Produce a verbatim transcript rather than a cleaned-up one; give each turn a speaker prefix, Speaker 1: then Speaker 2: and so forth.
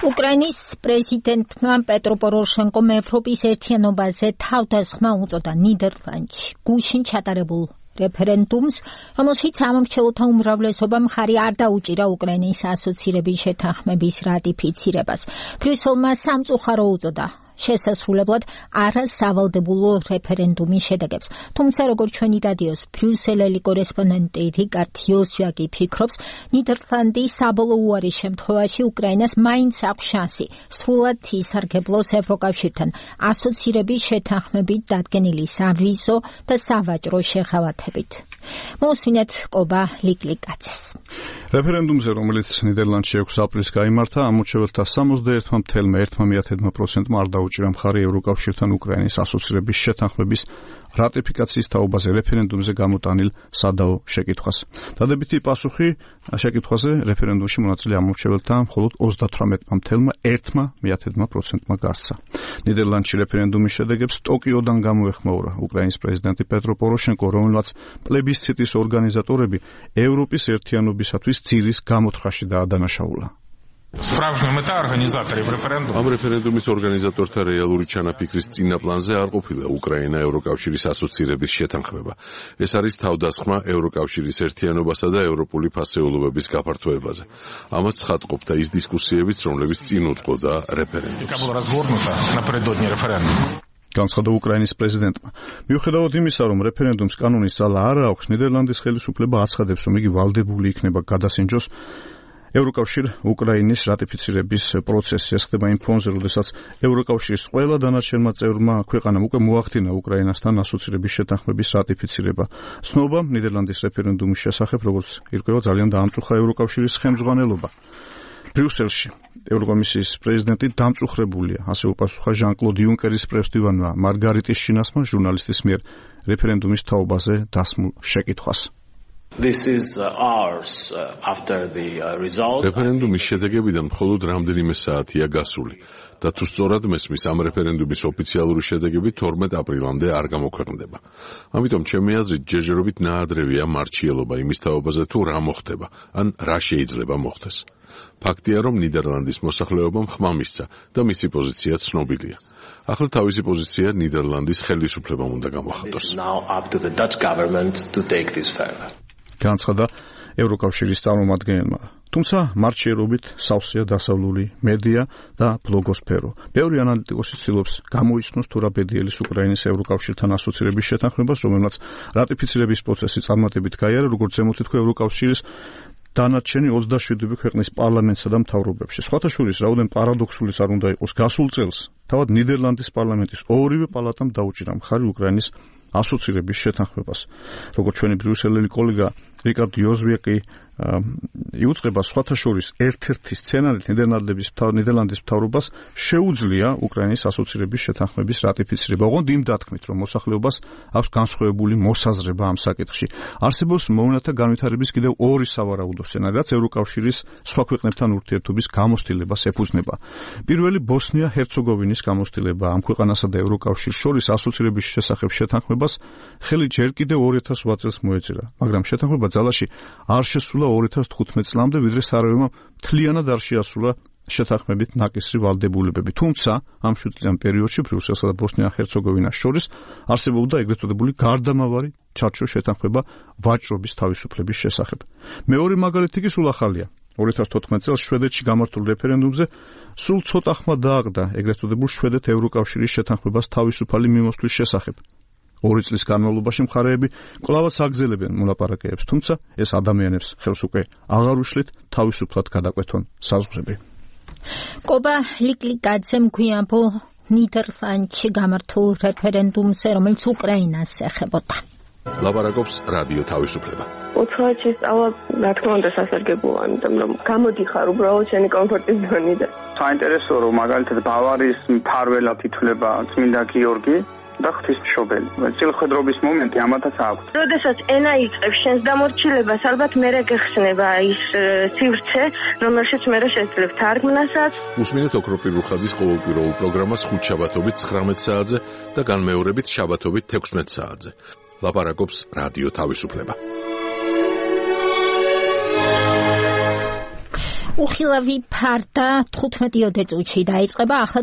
Speaker 1: უკრაინის პრეზიდენტმა პეტრო პოროშენკომ ევროპის ერთიანობაზე თავდასხმა უწოდა ნიდერლანდში გუშინ ჩატარებულ რეფერენდუმს, რომელშიც ამომრჩეველთა უმრავლესობამ მხარი არ დაუჭირა უკრაინის ასოცირების შეთანხმების რატიფიცირებას. ბრიუსელმა სამწუხარო უწოდა შესასრულებლად არასავალდებულო რეფერენდუმის შედეგებს. თუმცა, როგორც ჩვენი რადიოს ბრიუსელელი კორესპონდენტი რიკარდ იოსვაკი ფიქრობს, ნიდერლანდის საბოლოო უარის შემთხვევაში უკრაინას მაინც აქვს შანსი სრულად ისარგებლოს ევროკავშირთან ასოცირების შეთანხმებით დადგენილი სავიზო და სავაჭრო შეღავათებით. მოусმინეთ ყობა ლიკლიკაძეს.
Speaker 2: რეფერენდუმზე, რომელიც ნიდერლანდში ექვსი აპრილს გაიმართა, ამორჩეველთა სამოცდაერთი წამსული ერთი პროცენტმა არ დაუჭირა მხარი ევროკავშირთან უკრაინის ასოცირების შეთანხმების რატიფიკაციის თაობაზე რეფერენდუმზე გამოტანილ სადაო შეკითხვას. დადებითი პასუხი შეკითხვაზე რეფერენდუმში მონაწილე ამორჩეველთა მხოლოდ ოცდათვრამეტი წამსული ერთი პროცენტმა გასცა. ნიდერლანდში რეფერენდუმის შედეგებს ტოკიოდან გამოეხმაურა უკრაინის პრეზიდენტი პეტრო პოროშენკო, რომელმაც პლებისციტის ორგანიზატორები ევროპის ერთიანობისათვის ძირის გამოთხრაში დაადანაშაულა.
Speaker 3: Справжня мета организаторів референдуму.
Speaker 4: Ამ რეფერენდუმის ორგანიზატორთა რეალური ჩანაფიქრის წინა პლანზე არ ყოფილა უკრაინა ევროკავშირის ასოცირების შეთანხმება. ეს არის თავდასხმა ევროკავშირის ერთიანობასა და ევროპული ფასეულობების გაფართოებაზე. ამაც ხატყოფდა ის დისკუსიებიც, რომლებიც წინ უძღოდა რეფერენდუმს.
Speaker 3: Яка була розгорнута напередодні референдуму.
Speaker 2: განცხადა უკრაინის პრეზიდენტმა. მიუხედავად იმისა, რომ რეფერენდუმს კანონის ძალა არ აქვს, ნიდერლანდის ხელისუფლება აცხადებს, რომ იგი ვალდებული იქნება გადასინჯოს ევროკავშირ უკრაინის რატიფიცირების პროცესი. ეს ხდება იმ ფონზე, როდესაც ევროკავშირის ყველა დანარჩენმა წევრმა ქვეყანამ უკვე მოახდინა უკრაინასთან ასოცირების შეთანხმების რატიფიცირება. ცნობა ნიდერლანდის რეფერენდუმის შესახებ, როგორც ირკვევა, ძალიან დაამწუხა ევროკავშირის ხელმძღვანელობა. ბრიუსელში ევროკომისიის პრეზიდენტი დამწუხრებულია, ასე უპასუხა ჟან-კლოდ იუნკერის პრესდივანმა მარგარიტის შინასმა ჟურნალისტის მიერ რეფერენდუმის თაობაზე დასმულ შეკითხვას.
Speaker 5: This is ours after the result.
Speaker 4: რეფერენდუმის შედეგებიდან მხოლოდ რამდენიმე საათია გასული და თუ სწორად მესმის, ამ რეფერენდუმის ოფიციალური შედეგები თორმეტ აპრილამდე არ გამოქვეყნდება. ამიტომ ჩემი აზრით ჯერჯერობით ნაადრევია მარჩიელობა იმის თაობაზე, თუ რა მოხდება, ან რა შეიძლება მოხდეს. ფაქტია, რომ ნიდერლანდის მოსახლეობამ ხმა მისცა და მისი პოზიცია ცნობილია. ახლა თავისი პოზიცია ნიდერლანდის ხელისუფლებამ უნდა გამოხატოს.
Speaker 2: განცხადა ევროკავშირის წარმომადგენელმა. თუმცა მარჩიერობით სავსეა დასავლური მედია და ბლოგოსფერო. ბევრი ანალიტიკოსი ცდილობს გამოიცნოს თუ რა ბედიელის უკრაინის ევროკავშირთან ასოცირების შეთანხმებას, რომელმაც რატიფიცირების პროცესი წარმატებით გაიარა, როგორც ზემოთ ითქვა ევროკავშირის დანარჩენი ოცდაშვიდი ქვეყნის პარლამენტსა და მთავრობებში. სხვათა შორის, რაოდენ პარადოქსულიც არ უნდა იყოს, გასულ წელს თავად ნიდერლანდის პარლამენტის ორივე პალატამ დაუჭირა მხარი უკრაინის ასოცირების შეთანხმებას. როგორც ჩვენი ბრიუსელელი კოლეგა რიკარდ იოსვაკი იუწყება, სხვათა შორის ერთ-ერთი სცენარით ნიდერლანდების ნიდერლანდის მთავრობას შეუძლია უკრაინის ასოცირების შეთანხმების რატიფიცირება. ოღონდ იმ დათქმით, რომ მოსახლეობას აქვს განსხვავებული მოსაზრება ამ საკითხში. არსებობს მოვლენათა განვითარების კიდევ ორი სავარაუდო სცენარი, რაც ევროკავშირის სხვა ქვეყნებთან ურთიერთობის გამოცდილებას ეფუძნება. პირველი ბოსნია-ჰერცეგოვინის გამოცდილება. ამ ქვეყანასა და ევროკავშირს შორის ასოცირების შესახებ შეთანხმებას ხელი ჯერ კიდევ ორი ათას ოთხ წელს მოეწერა, მაგრამ შეთანხმება ძალაში არ შესულა ორი ათას თხუთმეტ წლამდე, ვიდრე სარაევმა მთლიანად არ შეასრულა შეთანხმებით ნაკისრი ვალდებულებები. თუმცა ამ შვიდ წლიან პერიოდში ბრიუსელსა და ბოსნია-ჰერცეგოვინას შორის არსებობდა ეგრეთ წოდებული გარდამავალი ჩარჩო შეთანხმება ვაჭრობის თავისუფლების შესახებ. მეორე მაგალითი კი სულ ახალია. ორი ათას თოთხმეტ წელს შვედეთში გამართულ რეფერენდუმზე სულ ცოტა ხმა დააგდა ეგრეთ წოდებულ შვედეთ ევროკავშირის შეთანხმებას თავისუფალი მიმოსვლის შესახებ. ორი წლის განმავლობაში მხარეები კვლავაც აგზელებენ მოლაპარაკებებს, თუმცა ეს ადამიანებს ხელს უკვე აღარ უშლით თავისუფლად გადაკვეთონ საზღვრები.
Speaker 1: ყობა ლიკლიკაძემ გვიამბო ნიდერლანდში გამართულ რეფერენდუმზე, რომელიც უკრაინას ეხებოდა.
Speaker 4: ლაპარაკობს რადიო თავისუფლება.
Speaker 6: უცხოეთში სწავლა, რა თქმა უნდა, სასარგებლოა, იმიტომ რომ გამოდიხარ უბრალოდ შენი კომფორტის ზონიდან.
Speaker 7: საინტერესოა, რომ მაგალითად ბავარიის მფარველად ითვლება წმინდა გიორგი და ღვთისმშობელი. წილხედრობის მომენტი ამათაც აქვს.
Speaker 6: როდესაც ენა იწყებს შენს დამორჩილებას, ალბათ მერე გეხსნება ის სივრცე, რომელშიც მერე შეძლებ თარგმნასაც.
Speaker 4: უსმინეთ ოქროპირ რუხაძის ყოველკვირეულ პროგრამას ხუთ შაბათობით ცხრამეტ საათზე და განმეორებით შაბათობით თექვსმეტ საათზე. ლაპარაკობს რადიო თავისუფლება.
Speaker 1: უხილავი ფარდა თხუთმეტი წუთში დაიწყება, ახლა